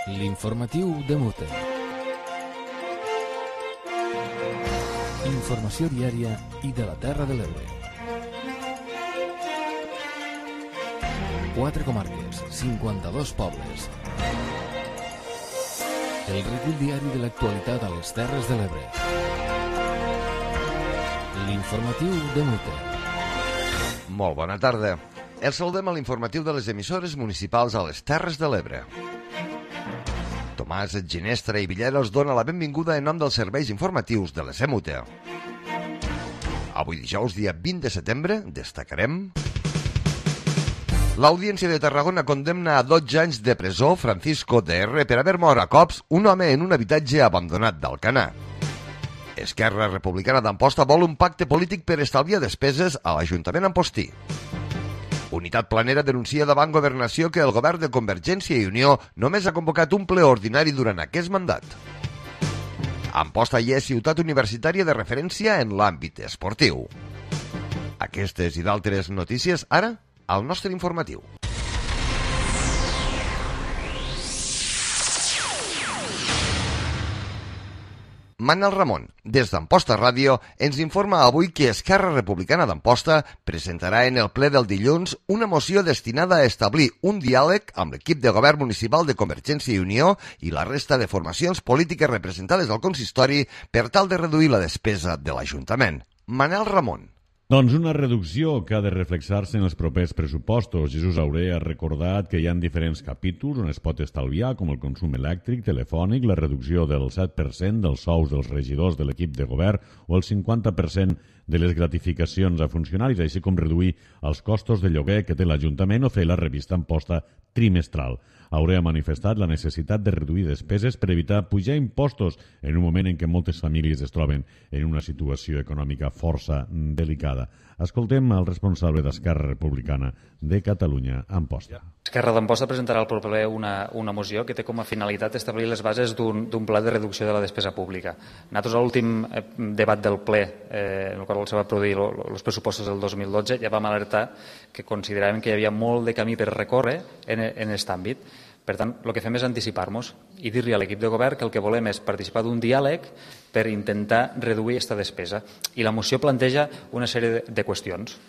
L'informatiu de Mute. Informació diària i de la Terra de l'Ebre. 4 comarques, 52 pobles. El recull diari de l'actualitat a les Terres de l'Ebre. L'informatiu de Mute. Molt bona tarda. Els saludem a l'informatiu de les emissores municipals a les Terres de l'Ebre. Tomàs Ginestra i Villera us dona la benvinguda en nom dels serveis informatius de l'ESEMUTE. Avui dijous, dia 20 de setembre, destacarem... L'Audiència de Tarragona condemna a 12 anys de presó Francisco DR per haver mort a cops un home en un habitatge abandonat d'Alcanar. Esquerra Republicana d'Amposta vol un pacte polític per estalviar despeses a l'Ajuntament Ampostí. Unitat Planera denuncia davant Governació que el govern de Convergència i Unió només ha convocat un ple ordinari durant aquest mandat. Amposta ja és ciutat universitària de referència en l'àmbit esportiu. Aquestes i d'altres notícies ara al nostre informatiu. Manel Ramon, des d'Amposta Ràdio, ens informa avui que Esquerra Republicana d'Amposta presentarà en el ple del dilluns una moció destinada a establir un diàleg amb l'equip de govern municipal de Convergència i Unió i la resta de formacions polítiques representades al consistori per tal de reduir la despesa de l'Ajuntament. Manel Ramon. Doncs una reducció que ha de reflexar-se en els propers pressupostos. Jesús Auré ha recordat que hi ha diferents capítols on es pot estalviar, com el consum elèctric, telefònic, la reducció del 7% dels sous dels regidors de l'equip de govern o el 50% de les gratificacions a funcionaris, així com reduir els costos de lloguer que té l'Ajuntament o fer la revista Amposta trimestral. Auré ha manifestat la necessitat de reduir despeses per evitar pujar impostos en un moment en què moltes famílies es troben en una situació econòmica força delicada. Escoltem el responsable d'Esquerra Republicana de Catalunya, Amposta. Esquerra d'Amposta presentarà al proper ple una moció que té com a finalitat establir les bases d'un pla de reducció de la despesa pública. Nosaltres, a l'últim debat del ple, en el qual se va produir els pressupostos del 2012, ja vam alertar que consideràvem que hi havia molt de camí per recórrer en aquest àmbit. Per tant, el que fem és anticipar-nos i dir-li a l'equip de govern que el que volem és participar d'un diàleg per intentar reduir aquesta despesa. I la moció planteja una sèrie de qüestions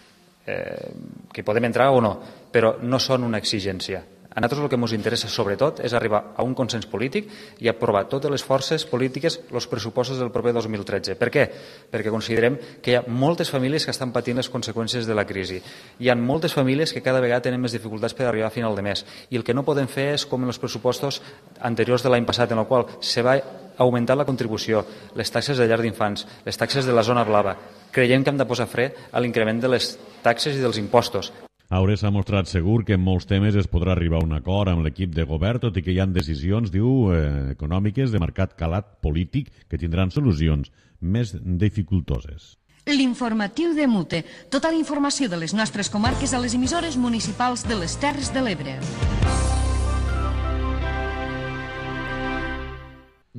que podem entrar o no, però no són una exigència. A nosaltres el que ens interessa sobretot és arribar a un consens polític i aprovar totes les forces polítiques els pressupostos del proper 2013. Per què? Perquè considerem que hi ha moltes famílies que estan patint les conseqüències de la crisi. Hi ha moltes famílies que cada vegada tenen més dificultats per arribar a final de mes. I el que no podem fer és com en els pressupostos anteriors de l'any passat, en el qual se va augmentar la contribució, les taxes de llar d'infants, les taxes de la zona blava. Creiem que hem de posar fre a l'increment de les taxes i dels impostos. Auré s'ha mostrat segur que en molts temes es podrà arribar a un acord amb l'equip de govern, tot i que hi ha decisions, diu, econòmiques de marcat calat polític que tindran solucions més dificultoses. L'informatiu de Mute. Tota la informació de les nostres comarques a les emissores municipals de les Terres de l'Ebre.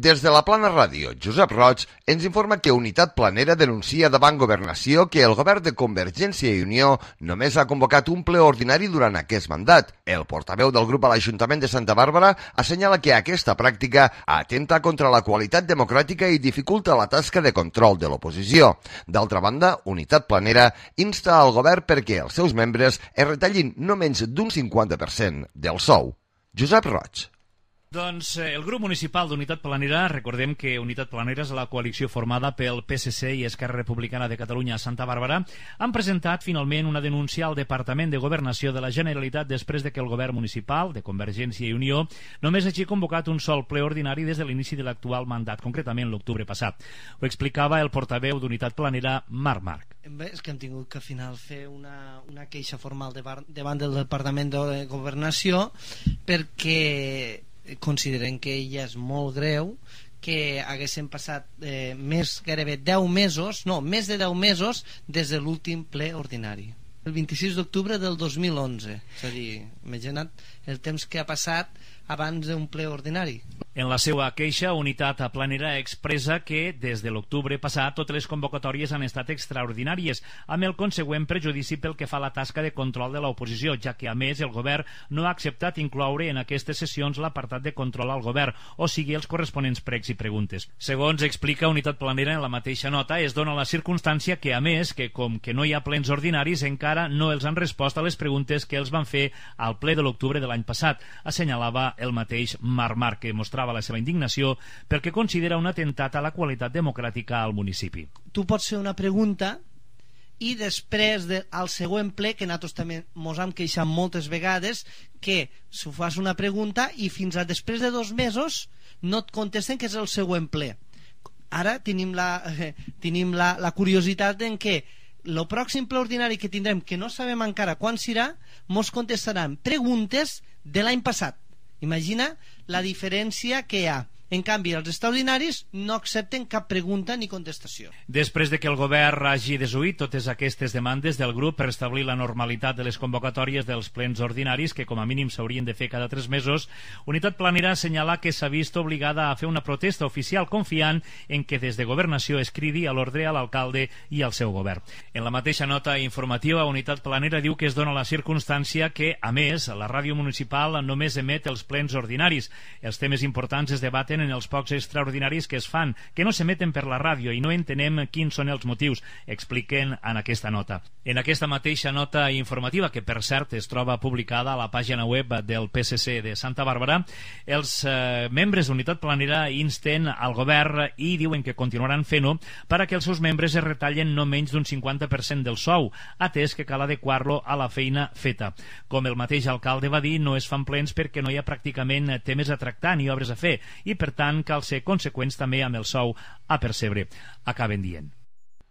Des de la Plana Ràdio, Josep Roig ens informa que Unitat Planera denuncia davant Governació que el govern de Convergència i Unió només ha convocat un ple ordinari durant aquest mandat. El portaveu del grup a l'Ajuntament de Santa Bàrbara assenyala que aquesta pràctica atenta contra la qualitat democràtica i dificulta la tasca de control de l'oposició. D'altra banda, Unitat Planera insta al govern perquè els seus membres es retallin no menys d'un 50% del sou. Josep Roig. Doncs el grup municipal d'Unitat Planera, recordem que Unitat Planera és la coalició formada pel PSC i Esquerra Republicana de Catalunya a Santa Bàrbara, han presentat finalment una denúncia al Departament de Governació de la Generalitat després de que el govern municipal de Convergència i Unió només hagi convocat un sol ple ordinari des de l'inici de l'actual mandat, concretament l'octubre passat. Ho explicava el portaveu d'Unitat Planera, Marc. Bé, és que hem tingut que al final fer una queixa formal davant del Departament de Governació perquè consideren que ella és molt greu que haguessin passat gairebé 10 mesos, no, més de 10 mesos des de l'últim ple ordinari. El 26 d'octubre del 2011, és a dir, imagina't el temps que ha passat abans d'un ple ordinari. En la seva queixa, Unitat Planera expressa que des de l'octubre passat totes les convocatòries han estat extraordinàries, amb el consegüent perjudici pel que fa a la tasca de control de l'oposició, ja que a més el govern no ha acceptat incloure en aquestes sessions l'apartat de control al govern, o sigui els corresponents pregs i preguntes. Segons explica Unitat Planera en la mateixa nota, es dona la circumstància que, a més, que com que no hi ha plens ordinaris, encara no els han respost a les preguntes que els van fer al ple de l'octubre de l'any passat, assenyalava el mateix Marmar, que mostrava la seva indignació perquè considera un atemptat a la qualitat democràtica al municipi. Tu pots fer una pregunta i després al següent ple, que nosaltres també mos hem queixat moltes vegades, que si fas una pregunta i fins a després de 2 mesos no et contesten que és el següent ple. Ara tenim la curiositat en què el pròxim ple ordinari que tindrem, que no sabem encara quan serà, mos contestaran preguntes de l'any passat. Imagina la diferència que hi ha. En canvi, els extraordinaris no accepten cap pregunta ni contestació. Després de que el govern hagi desoït totes aquestes demandes del grup per establir la normalitat de les convocatòries dels plens ordinaris, que com a mínim s'haurien de fer cada 3 mesos, Unitat Planera assenyala que s'ha vist obligada a fer una protesta oficial confiant en que des de Governació es cridi a l'ordre a l'alcalde i al seu govern. En la mateixa nota informativa, Unitat Planera diu que es dona la circumstància que, a més, la ràdio municipal només emet els plens ordinaris. Els temes importants es debaten en els pocs extraordinaris que es fan, que no s'emeten per la ràdio i no entenem quins són els motius, expliquen en aquesta nota. En aquesta mateixa nota informativa, que per cert es troba publicada a la pàgina web del PSC de Santa Bàrbara, els membres d'Unitat Planera insten al govern i diuen que continuaran fent-ho perquè els seus membres es retallen no menys d'un 50% del sou, atès que cal adequar-lo a la feina feta. Com el mateix alcalde va dir, no es fan plens perquè no hi ha pràcticament temes a tractar ni obres a fer i per tant cal ser conseqüents també amb el sou a percebre, acaben dient.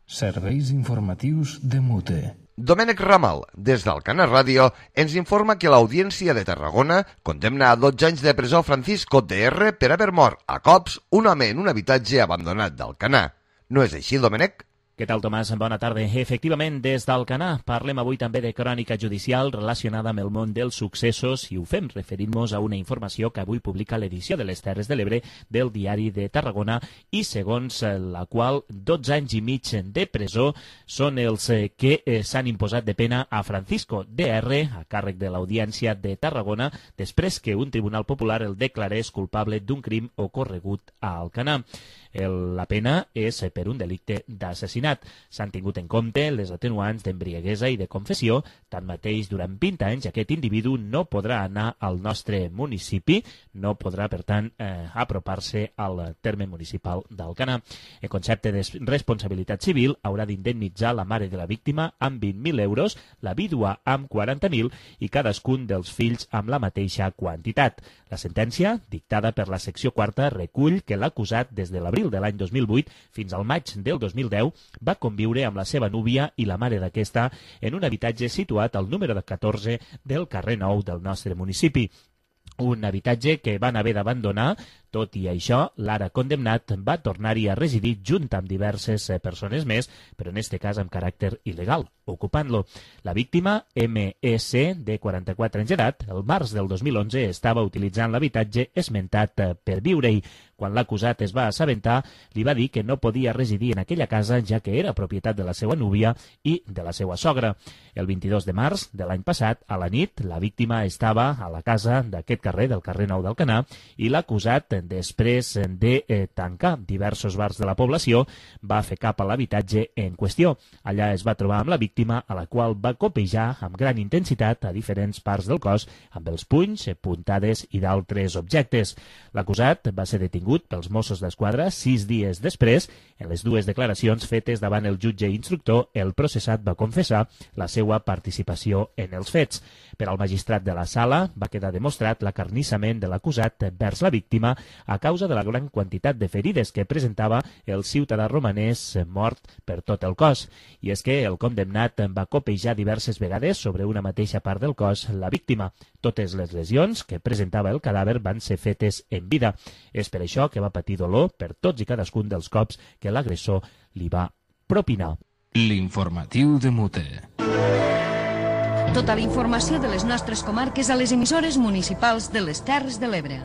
Serveis informatius de Mute. Domènec Ramal, des d'Alcanar Ràdio, ens informa que l'Audiència de Tarragona condemna a 12 anys de presó Francisco DR per haver mort a cops un home en un habitatge abandonat d'Alcanar. No és així, Domènec? Què tal, Tomàs? Bona tarda. Efectivament, des d'Alcanar parlem avui també de crònica judicial relacionada amb el món dels successos i ho fem referint-nos a una informació que avui publica l'edició de les Terres de l'Ebre del Diari de Tarragona i segons la qual 12 anys i mig de presó són els que s'han imposat de pena a Francisco DR, a càrrec de l'Audiència de Tarragona, després que un tribunal popular el declarés culpable d'un crim ocorregut a Alcanar. La pena és per un delicte d'assassinat. S'han tingut en compte les atenuants d'embriaguesa i de confessió. Tanmateix, durant 20 anys aquest individu no podrà anar al nostre municipi, no podrà, per tant, apropar-se al terme municipal d'Alcanar. En concepte de responsabilitat civil, haurà d'indemnitzar la mare de la víctima amb 20.000 euros, la vídua amb 40.000 i cadascun dels fills amb la mateixa quantitat. La sentència, dictada per la secció 4, recull que l'acusat des de l'abril de l'any 2008 fins al maig del 2010 va conviure amb la seva núvia i la mare d'aquesta en un habitatge situat al número 14 del carrer Nou del nostre municipi. Un habitatge que van haver d'abandonar. Tot i això, l'ara condemnat va tornar-hi a residir junt amb diverses persones més, però en aquest cas amb caràcter il·legal, ocupant-lo. La víctima, M.E.C., de 44 anys d'edat, el març del 2011 estava utilitzant l'habitatge esmentat per viure-hi. Quan l'acusat es va assabentar, li va dir que no podia residir en aquella casa ja que era propietat de la seva núvia i de la seva sogra. El 22 de març de l'any passat, a la nit, la víctima estava a la casa d'aquest carrer, del carrer Nou d'Alcanar, i l'acusat, després de tancar diversos bars de la població, va fer cap a l'habitatge en qüestió. Allà es va trobar amb la víctima, a la qual va copejar amb gran intensitat a diferents parts del cos, amb els punys, puntades i d'altres objectes. L'acusat va ser detingut pels Mossos d'Esquadra 6 dies després. En les dues declaracions fetes davant el jutge instructor, el processat va confessar la seva participació en els fets. Per al magistrat de la sala va quedar demostrat l'acarnissament de l'acusat vers la víctima a causa de la gran quantitat de ferides que presentava el ciutadà romanès mort per tot el cos. I és que el condemnat va copejar diverses vegades sobre una mateixa part del cos la víctima. Totes les lesions que presentava el cadàver van ser fetes en vida. És per això que va patir dolor per tots i cadascun dels cops que l'agressor li va propinar. L'informatiu de Mute. Tota la informació de les nostres comarques a les emissores municipals de les Terres de l'Ebre.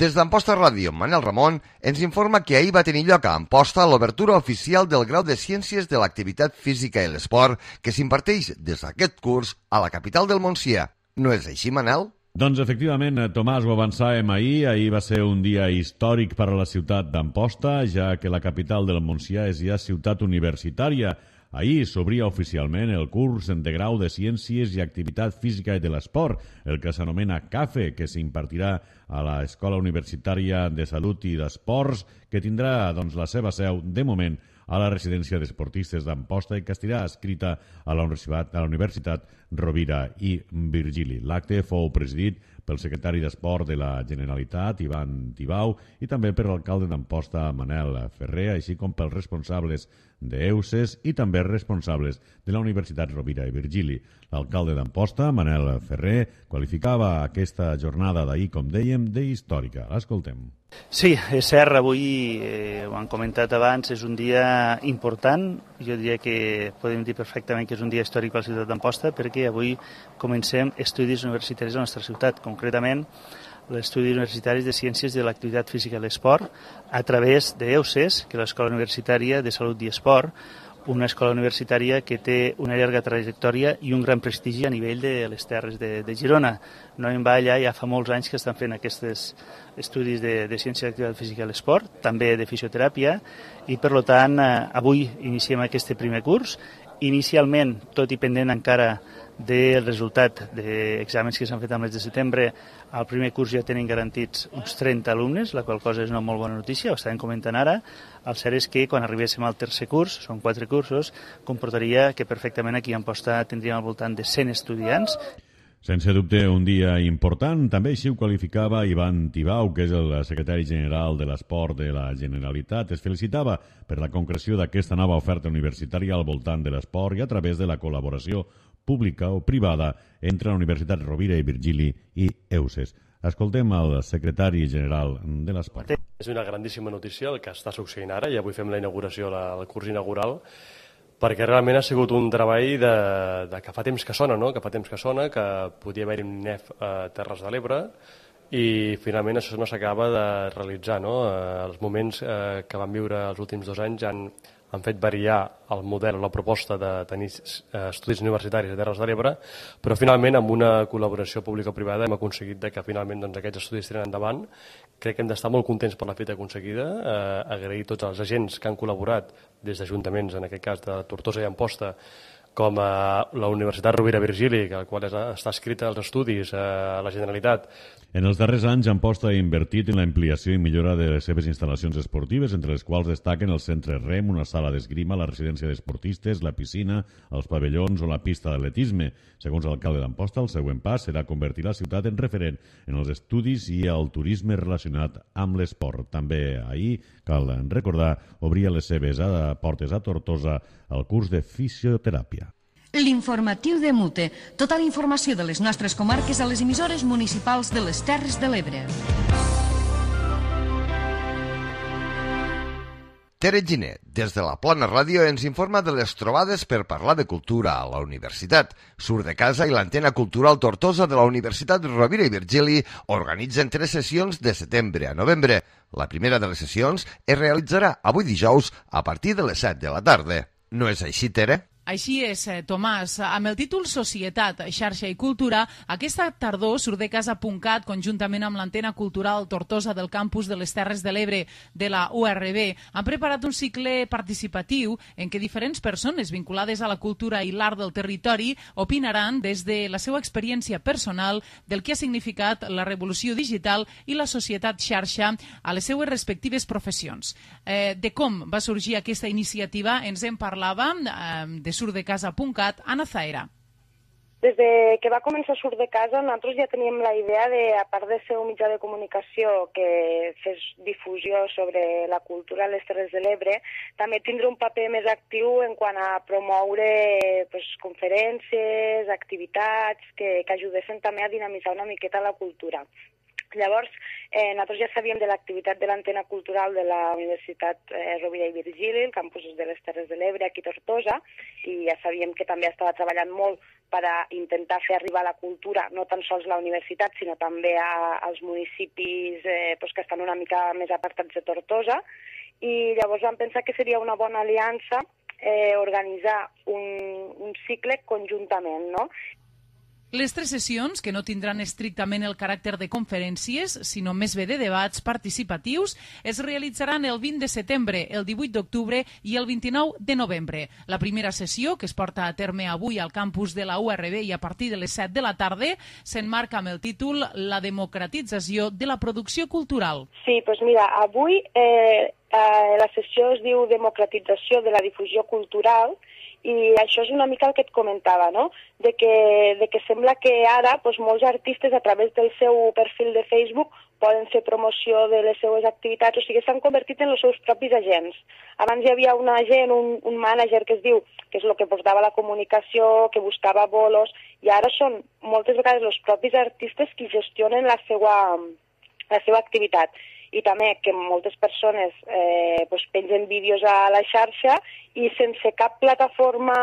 Des d'Amposta Ràdio, Manel Ramon ens informa que ahir va tenir lloc a Amposta l'obertura oficial del grau de Ciències de l'Activitat Física i l'Esport que s'imparteix des d'aquest curs a la capital del Montsià. No és així, Manel? Doncs efectivament, Tomàs, ho avançàvem ahir. Ahir va ser un dia històric per a la ciutat d'Amposta, ja que la capital del Montsià és ja ciutat universitària. Ahir s'obria oficialment el curs de grau de Ciències i Activitat Física i de l'Esport, el que s'anomena CAFE, que s'impartirà a l'Escola Universitària de Salut i d'Esports, que tindrà la seva seu, de moment, a la residència d'esportistes d'Amposta i que estarà escrita a la Universitat Rovira i Virgili. L'acte fou presidit pel secretari d'Esport de la Generalitat, Ivan Tibau, i també per l'alcalde d'Amposta, Manel Ferrer, així com pels responsables d'EUSES i també responsables de la Universitat Rovira i Virgili. L'alcalde d'Amposta, Manel Ferrer, qualificava aquesta jornada d'ahir, com dèiem, d'històrica. L'escoltem. Sí, és cert, avui, ho han comentat abans, és un dia important. Jo diria que podem dir perfectament que és un dia històric per la ciutat d'Amposta perquè avui comencem estudis universitaris a la nostra ciutat, concretament l'estudi universitaris de Ciències de l'Activitat Física i l'Esport a través d'EUSES, que és l'Escola Universitària de Salut i Esport, una escola universitària que té una llarga trajectòria i un gran prestigi a nivell de les terres de Girona. No en va allà, ja fa molts anys que estan fent aquests estudis de Ciència d'Activitat Física i l'Esport, també de fisioteràpia, i per tant avui iniciem aquest primer curs. Inicialment, tot i pendent encara del resultat d'exàmens que s'han fet al mes de setembre, al primer curs ja tenen garantits uns 30 alumnes, la qual cosa és una molt bona notícia, ho estàvem comentant ara. El cert és que quan arribéssim al tercer curs, són 4 cursos, comportaria que perfectament aquí a Amposta tindríem al voltant de 100 estudiants. Sense dubte, un dia important. També així ho qualificava Ivan Tibau, que és el secretari general de l'Esport de la Generalitat. Es felicitava per la concreció d'aquesta nova oferta universitària al voltant de l'esport i a través de la col·laboració pública o privada entre la Universitat Rovira i Virgili i EUSES. Escoltem el secretari general de l'Esport. És una grandíssima notícia el que està succeint ara i avui fem la inauguració, el curs inaugural, perquè realment ha sigut un treball que fa temps que sona, no? Que fa temps que sona, que podia haver-hi un NEF a Terres de l'Ebre i finalment això no s'acaba de realitzar, no? Els moments que vam viure els últims 2 anys han fet variar el model, la proposta de tenir estudis universitaris a Terres de l'Ebre, però finalment amb una col·laboració pública-privada hem aconseguit que finalment aquests estudis tiren endavant. Crec que hem d'estar molt contents per la feta aconseguida, agrair tots els agents que han col·laborat des d'ajuntaments, en aquest cas de Tortosa i Amposta, com a la Universitat Rovira Virgili, al qual està escrita els estudis a la Generalitat. En els darrers anys, Amposta ha invertit en l'ampliació i millora de les seves instal·lacions esportives, entre les quals destaquen el centre REM, una sala d'esgrima, la residència d'esportistes, la piscina, els pavellons o la pista d'atletisme. Segons l'alcalde d'Amposta, el següent pas serà convertir la ciutat en referent en els estudis i el turisme relacionat amb l'esport. També ahir, cal recordar, obria les seves portes a Tortosa el curs de fisioteràpia. L'informatiu de Mute. Tota la informació de les nostres comarques a les emissores municipals de les Terres de l'Ebre. Tere Giner, des de la Plana Ràdio, ens informa de les trobades per parlar de cultura a la universitat. Surt de casa i l'Antena Cultural Tortosa de la Universitat Rovira i Virgili organitzen 3 sessions de setembre a novembre. La primera de les sessions es realitzarà avui dijous a partir de les 7 de la tarda. No és així, Tere? Així és, Tomàs. Amb el títol Societat, Xarxa i Cultura, aquesta tardor Surdecasa.cat, conjuntament amb l'Antena Cultural Tortosa del campus de les Terres de l'Ebre de la URB, han preparat un cicle participatiu en què diferents persones vinculades a la cultura i l'art del territori opinaran des de la seva experiència personal del que ha significat la revolució digital i la societat xarxa a les seues respectives professions. De com va sorgir aquesta iniciativa ens en parlava de Surdecasa.cat, Anna Zaera. Des de que va començar Surt de Casa, nosaltres ja teníem la idea de, a part de ser un mitjà de comunicació que fes difusió sobre la cultura a les Terres de l'Ebre, també tindre un paper més actiu en quant a promoure conferències, activitats que ajudessin també a dinamitzar una miqueta la cultura. Llavors, nosaltres ja sabíem de l'activitat de l'Antena Cultural de la Universitat Rovira i Virgili, el campus de les Terres de l'Ebre, aquí a Tortosa, i ja sabíem que també estava treballant molt per a intentar fer arribar la cultura no tan sols a la universitat, sinó també als municipis que estan una mica més apartats de Tortosa. I llavors vam pensar que seria una bona aliança organitzar un cicle conjuntament, no? Les 3 sessions, que no tindran estrictament el caràcter de conferències, sinó més bé de debats participatius, es realitzaran el 20 de setembre, el 18 d'octubre i el 29 de novembre. La primera sessió, que es porta a terme avui al campus de la URB i a partir de les 7 de la tarda, s'emmarca amb el títol La democratització de la producció cultural. Sí, doncs mira, avui la sessió es diu Democratització de la difusió cultural, i això és una mica el que et comentava, no? De que sembla que ara molts artistes a través del seu perfil de Facebook poden fer promoció de les seues activitats, o sigui, s'han convertit en els seus propis agents. Abans hi havia un agent, un mànager que es diu, que és el que portava la comunicació, que buscava bolos, i ara són moltes vegades els propis artistes qui gestionen la seva activitat. I també que moltes persones pengen vídeos a la xarxa i sense cap plataforma,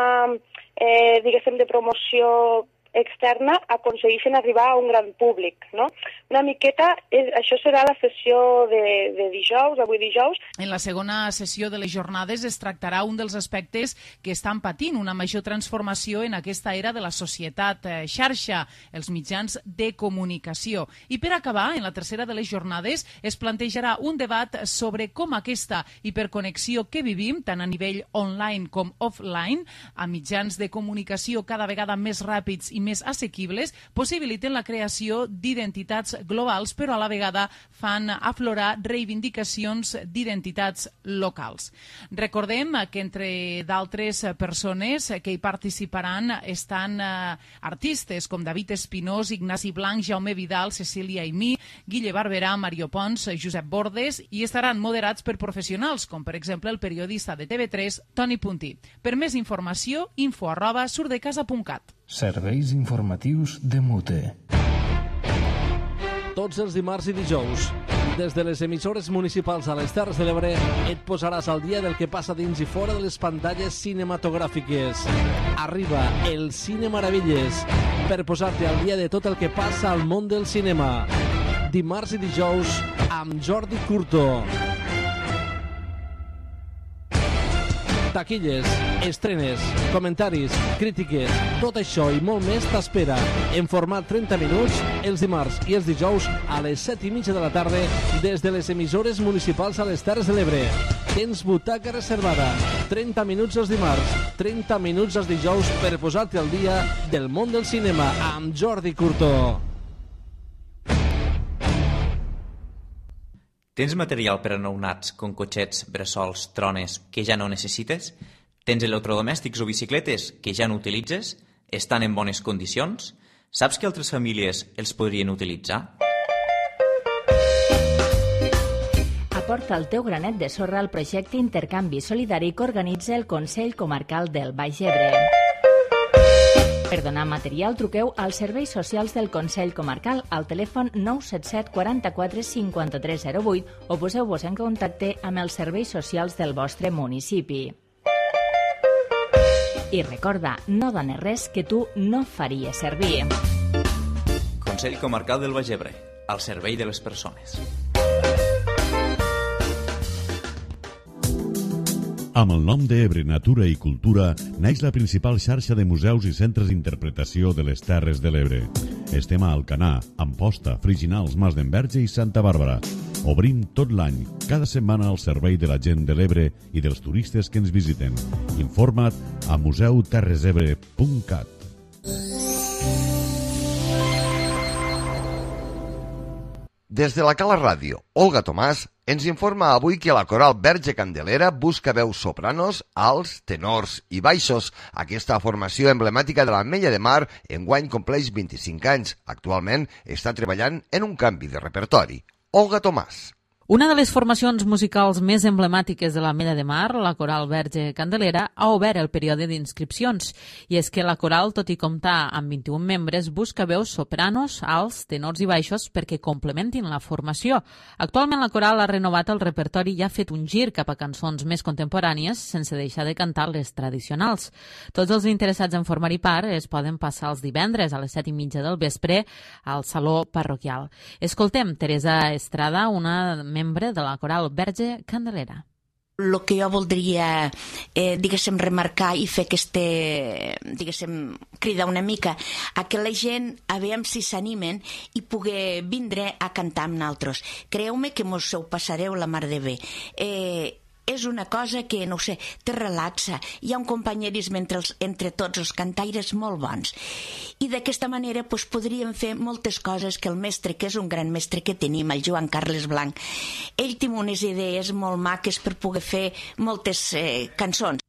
diguéssim, de promoció externa aconsegueixen arribar a un gran públic, no? Una miqueta, això serà la sessió de dijous, avui dijous. En la segona sessió de les jornades es tractarà un dels aspectes que estan patint una major transformació en aquesta era de la societat xarxa, els mitjans de comunicació. I per acabar, en la tercera de les jornades es plantejarà un debat sobre com aquesta hiperconnexió que vivim, tant a nivell online com offline, a mitjans de comunicació cada vegada més ràpids i més assequibles, possibiliten la creació d'identitats globals, però a la vegada fan aflorar reivindicacions d'identitats locals. Recordem que entre d'altres persones que hi participaran estan artistes com David Espinós, Ignasi Blanc, Jaume Vidal, Cecília Aimí, Guille Barberà, Mario Pons, Josep Bordes, i estaran moderats per professionals, com per exemple el periodista de TV3, Toni Puntí. Per més informació, info@surdecasa.cat. Serveis informatius de Mute. Tots els dimarts i dijous, des de les emissores municipals a les Terres de l'Ebre, et posaràs al dia del que passa dins i fora de les pantalles cinematogràfiques. Arriba el Cine Meravelles per posar-te al dia de tot el que passa al món del cinema. Dimarts i dijous amb Jordi Curto. Taquilles, estrenes, comentaris, crítiques, tot això i molt més t'espera en format 30 minuts els dimarts i els dijous a les 7:30 de la tarda des de les emissores municipals a les Terres de l'Ebre. Tens butaca reservada, 30 minuts els dimarts, 30 minuts els dijous per posar-te al dia del món del cinema amb Jordi Curto. Tens material per a nounats, com cotxets, bressols, trones, que ja no necessites? Tens electrodomèstics o bicicletes que ja no utilitzes? Estan en bones condicions? Saps que altres famílies els podrien utilitzar? Aporta el teu granet de sorra al projecte Intercanvi Solidari que organitza el Consell Comarcal del Baix Ebre. Per donar material, truqueu als serveis socials del Consell Comarcal al telèfon 977 44 53 08 o poseu-vos en contacte amb els serveis socials del vostre municipi. I recorda, no dones res que tu no faries servir. Consell Comarcal del Baix Ebre, al servei de les persones. Amb el nom d'Ebre Natura i Cultura naix la principal xarxa de museus i centres d'interpretació de les Terres de l'Ebre. Estem a Alcanar, Amposta, Friginals, Mas d'Enverge i Santa Bàrbara. Obrim tot l'any, cada setmana al servei de la gent de l'Ebre i dels turistes que ens visiten. Informa't a museuterresebre.cat. Des de la Cala Ràdio, Olga Tomàs ens informa avui que la coral Verge Candelera busca veus sopranos, alts, tenors i baixos. Aquesta formació emblemàtica de l'Ametlla de Mar enguany compleix 25 anys. Actualment està treballant en un canvi de repertori. Olga Tomàs. Una de les formacions musicals més emblemàtiques de l'Ametlla de Mar, la Coral Verge Candelera, ha obert el període d'inscripcions. I és que la coral, tot i comptar amb 21 membres, busca veus sopranos, alts, tenors i baixos perquè complementin la formació. Actualment la coral ha renovat el repertori i ha fet un gir cap a cançons més contemporànies sense deixar de cantar les tradicionals. Tots els interessats en formar-hi part es poden passar els divendres a les 7:30 del vespre al Saló Parroquial. Escoltem Teresa Estrada, una membre de la Coral Verge Candelera. El que jo voldria, remarcar i fer cridar una mica a que la gent, a veure si s'animen i poder vindre a cantar amb nosaltres. Creu-me que mos ho passareu la mar de bé. És una cosa que, no sé, te relaxa. Hi ha un companyerisme entre tots els cantaires molt bons. I d'aquesta manera podríem fer moltes coses que el mestre, que és un gran mestre que tenim, el Joan Carles Blanc, ell té unes idees molt maques per poder fer moltes cançons.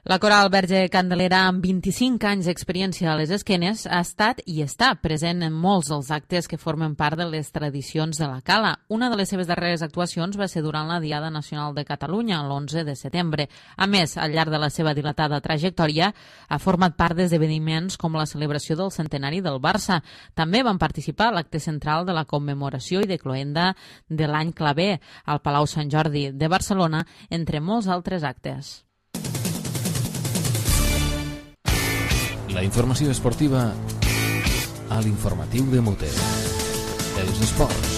La Coral Verge Candelera, amb 25 anys d'experiència a les esquenes, ha estat i està present en molts dels actes que formen part de les tradicions de la Cala. Una de les seves darreres actuacions va ser durant la Diada Nacional de Catalunya, l'11 de setembre. A més, al llarg de la seva dilatada trajectòria, ha format part d'esdeveniments com la celebració del centenari del Barça. També van participar a l'acte central de la commemoració i de cloenda de l'any claver al Palau Sant Jordi de Barcelona, entre molts altres actes. La informació esportiva a l'informatiu de Mute. Els esports.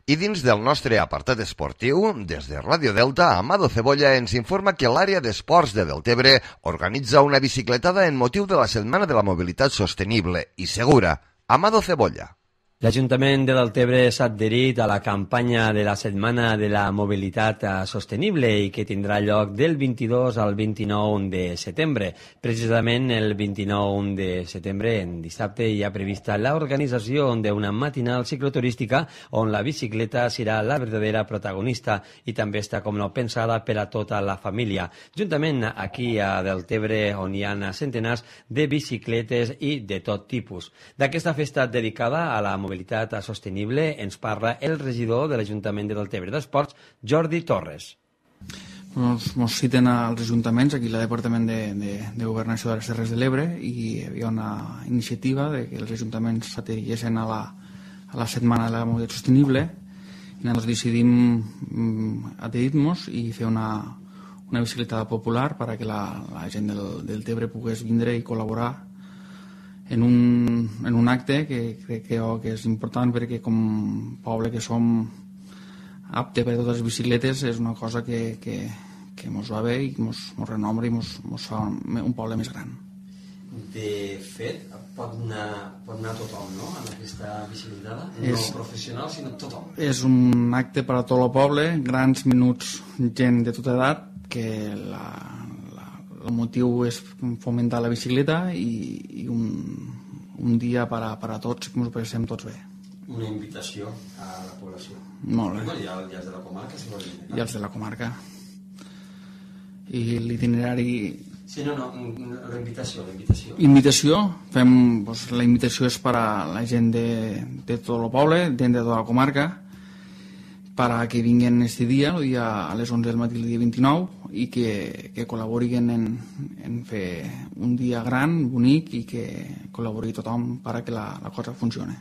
I dins del nostre apartat esportiu, des de Ràdio Delta, Amado Cebolla ens informa que l'àrea d'esports de Deltebre organitza una bicicletada en motiu de la Setmana de la Mobilitat Sostenible i Segura. Amado Cebolla. L'Ajuntament de Deltebre s'ha adherit a la campanya de la Setmana de la Mobilitat Sostenible i que tindrà lloc del 22 al 29 de setembre. Precisament el 29 de setembre, en dissabte, hi ha prevista l'organització d'una matinal cicloturística on la bicicleta serà la verdadera protagonista i també està com no pensada per a tota la família. Juntament aquí a Deltebre, on hi ha centenars de bicicletes i de tot tipus. D'aquesta festa dedicada a la mobilitat sostenible ens parla el regidor de l'Ajuntament de Deltebre d'Esports, Jordi Torres. Ens citen als ajuntaments, aquí al Departament de Governació de les Terres de l'Ebre, i hi havia una iniciativa de que els ajuntaments s'adhereixen a la Setmana de la Mobilitat Sostenible i nosaltres decidim adherir-nos i fer una bicicletada popular perquè la gent del Tebre pogués vindre i col·laborar en un acte que crec que és important perquè com poble que som apte per a totes les bicicletes és una cosa que ens va bé i ens renombra i ens fa un poble més gran. De fet, pot anar tothom, no?, en aquesta bicicletada? No professional, sinó tothom. És un acte per a tot el poble, grans, menuts, gent de tota edat, que el motiu és fomentar la bicicleta i un dia per a tots, que ens ho passem tots bé. Una invitació a la població. Molt bé. I els de la comarca, si volen. I els de la comarca. I l'itinerari... Sí, no, la invitació. Fem, la invitació és per a la gent de tot el poble, gent de tota la comarca, para que vinguin este dia, el dia a les 11 del matí, el dia 29, i que col·laborin en fer un dia gran, bonic, i que col·labori tothom perquè la cosa funcioni.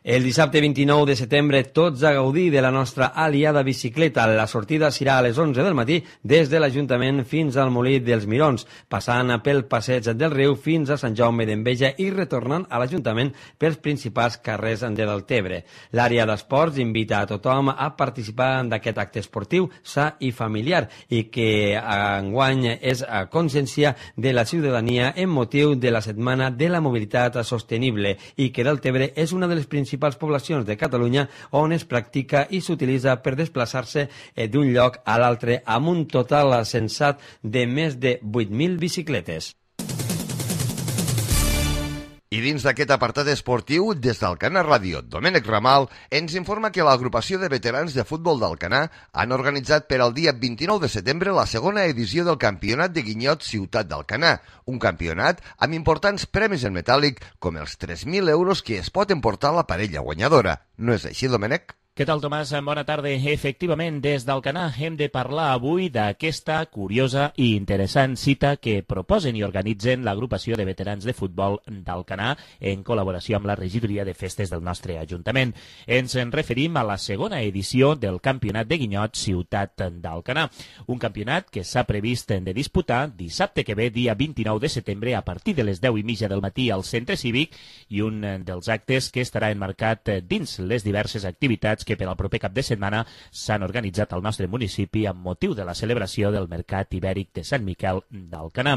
El dissabte 29 de setembre tots a gaudir de la nostra aliada bicicleta. La sortida serà a les 11 del matí des de l'Ajuntament fins al Molí dels Mirons, passant pel passeig del riu fins a Sant Jaume d'Enveja i retornant a l'Ajuntament pels principals carrers de Deltebre. L'àrea d'esports invita a tothom a participar d'aquest acte esportiu sa i familiar i que enguany és a consciència de la ciutadania en motiu de la Setmana de la Mobilitat Sostenible i que Deltebre és una de les principals poblacions de Catalunya on es practica i s'utilitza per desplaçar-se d'un lloc a l'altre amb un total sensat de més de 8.000 bicicletes. I dins d'aquest apartat esportiu, des d'Alcanar Ràdio, Domènec Ramal ens informa que l'agrupació de veterans de futbol d'Alcanar han organitzat per al dia 29 de setembre la segona edició del Campionat de Guinyot Ciutat d'Alcanar, un campionat amb importants premis en metàl·lic com els 3.000 euros que es pot emportar la parella guanyadora. No és així, Domènec? Què tal, Tomàs? Bona tarda. Efectivament, des d'Alcanar hem de parlar avui d'aquesta curiosa i interessant cita que proposen i organitzen l'agrupació de veterans de futbol d'Alcanar en col·laboració amb la regidoria de festes del nostre Ajuntament. Ens en referim a la segona edició del Campionat de Guinyot Ciutat d'Alcanar, un campionat que s'ha previst de disputar dissabte que ve, dia 29 de setembre, a partir de les 10:30 del matí al Centre Cívic, i un dels actes que estarà enmarcat dins les diverses activitats que per al proper cap de setmana s'han organitzat al nostre municipi amb motiu de la celebració del Mercat Ibèric de Sant Miquel d'Alcanar.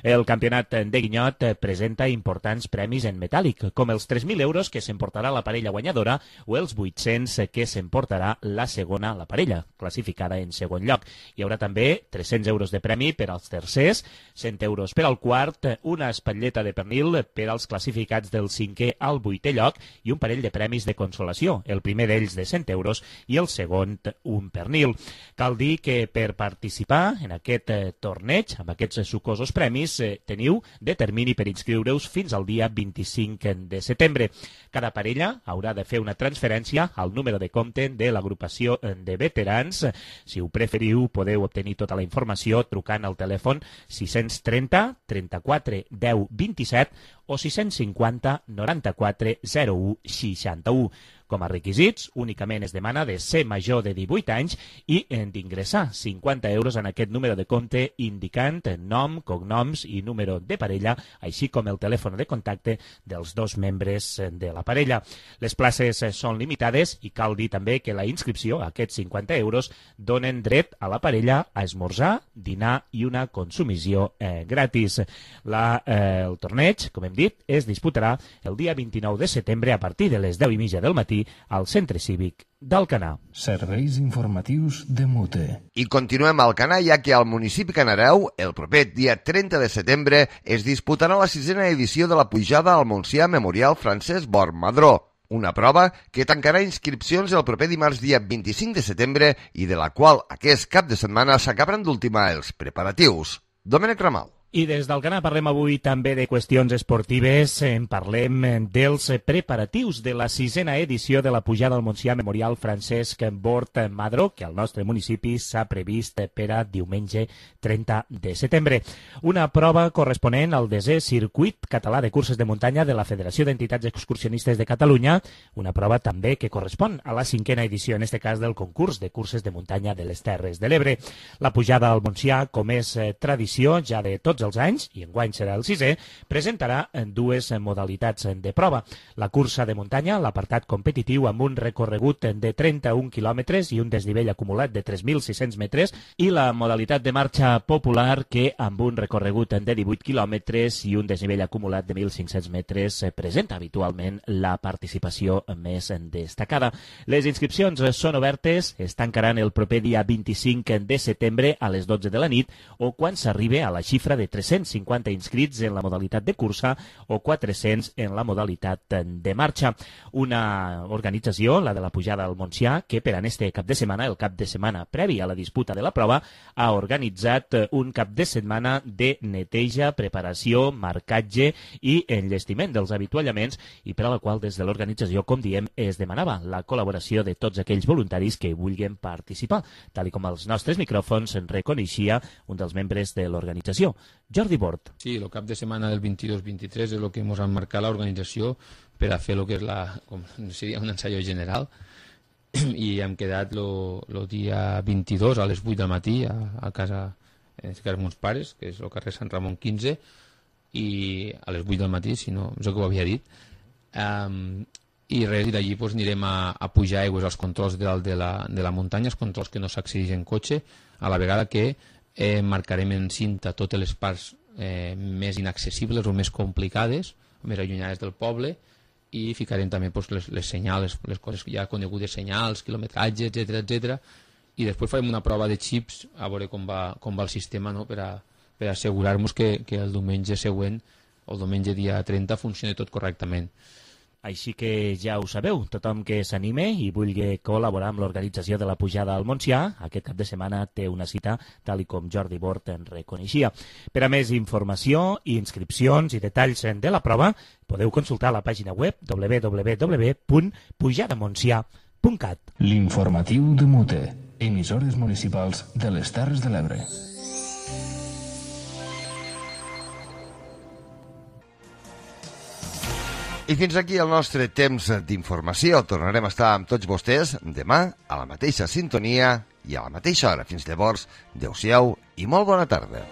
El campionat de Guinyot presenta importants premis en metàl·lic, com els 3.000 euros que s'emportarà la parella guanyadora o els 800 que s'emportarà la segona, la parella, classificada en segon lloc. Hi haurà també 300 euros de premi per als tercers, 100 euros per al quart, una espatlleta de pernil per als classificats del 5è al 8è lloc i un parell de premis de consolació, el primer d'ells de 100 euros i el segon un pernil. Cal dir que per participar en aquest torneig, amb aquests sucosos premis, teniu de termini per inscriure-us fins al dia 25 de setembre. Cada parella haurà de fer una transferència al número de compte de l'agrupació de veterans. Si ho preferiu, podeu obtenir tota la informació trucant al telèfon 630 34 10 27 o 650 94 01 61. Com a requisits, únicament es demana de ser major de 18 anys i d'ingressar 50 euros en aquest número de compte indicant nom, cognoms i número de parella, així com el telèfon de contacte dels dos membres de la parella. Les places són limitades i cal dir també que la inscripció, aquests 50 euros, donen dret a la parella a esmorzar, dinar i una consumició gratis. El torneig, com hem dit, es disputarà el dia 29 de setembre a partir de les 10:30 del matí al Centre Cívic d'Alcanar. Serveis informatius de Mute. I continuem a Alcanar, ja que al municipi Canareu, el proper dia 30 de setembre, es disputarà la 6a edició de la pujada al Montsià Memorial Francesc Bor Madró, una prova que tancarà inscripcions el proper dimarts dia 25 de setembre i de la qual aquest cap de setmana s'acabaran d'ultimar els preparatius. Domènec Ramal. I des d'Alcanar parlem avui també de qüestions esportives. En parlem dels preparatius de la 6a edició de la pujada al Montsià Memorial Francesc Bort Madró, que al nostre municipi s'ha previst per a diumenge 30 de setembre. Una prova corresponent al 10è Circuit Català de Curses de Muntanya de la Federació d'Entitats Excursionistes de Catalunya, una prova també que correspon a la 5a edició, en este cas del concurs de curses de muntanya de les Terres de l'Ebre. La pujada al Montsià, com és tradició ja de tots els anys, i enguany serà el 6è, presentarà dues modalitats de prova. La cursa de muntanya, l'apartat competitiu amb un recorregut de 31 quilòmetres i un desnivell acumulat de 3.600 metres, i la modalitat de marxa popular, que amb un recorregut de 18 quilòmetres i un desnivell acumulat de 1.500 metres presenta habitualment la participació més destacada. Les inscripcions són obertes, es tancaran el proper dia 25 de setembre a les 12 de la nit o quan s'arribe a la xifra de 350 inscrits en la modalitat de cursa o 400 en la modalitat de marxa. Una organització, la de la pujada al Montsià, que per a este cap de setmana, el cap de setmana previ a la disputa de la prova, ha organitzat un cap de setmana de neteja, preparació, marcatge i enllestiment dels avituallaments, i per a la qual des de l'organització, com diem, es demanava la col·laboració de tots aquells voluntaris que vulguin participar, tal com els nostres micròfons reconeixia un dels membres de l'organització, Jordi Bort. Sí, el cap de setmana del 22-23 és el que ens ha marcat l'organització per a fer el que és un ensaio general, i hem quedat el dia 22 a les 8 del matí a casa de meus pares, que és el carrer Sant Ramon 15, i a les 8 del matí, si no, és el que ho havia dit, i res, i d'allí anirem a pujar aigües als controls de dalt de la muntanya, els controls que no s'accedeix en cotxe, a la vegada que marcarem en cinta totes les parts més inaccessibles o més complicades, més allunyades del poble, i ficarem també les senyals, les coses ja conegudes, senyals, quilometratge, etc. I després farem una prova de xips a veure com va el sistema, no? per assegurar-nos que el diumenge següent, o el diumenge dia 30, funcioni tot correctament. Així que ja ho sabeu, tothom que s'anime i vulgui col·laborar amb l'organització de la pujada al Montsià, aquest cap de setmana té una cita, tal com Jordi Bort en reconeixia. Per a més informació, inscripcions i detalls de la prova, podeu consultar la pàgina web www.pujadamontsià.com. www.mute.cat. L'informatiu de Mute, emissores municipals de les Terres de l'Ebre. I fins aquí el nostre temps d'informació. Tornarem a estar amb tots vostès demà a la mateixa sintonia i a la mateixa hora. Fins llavors, adeu-siau i molt bona tarda.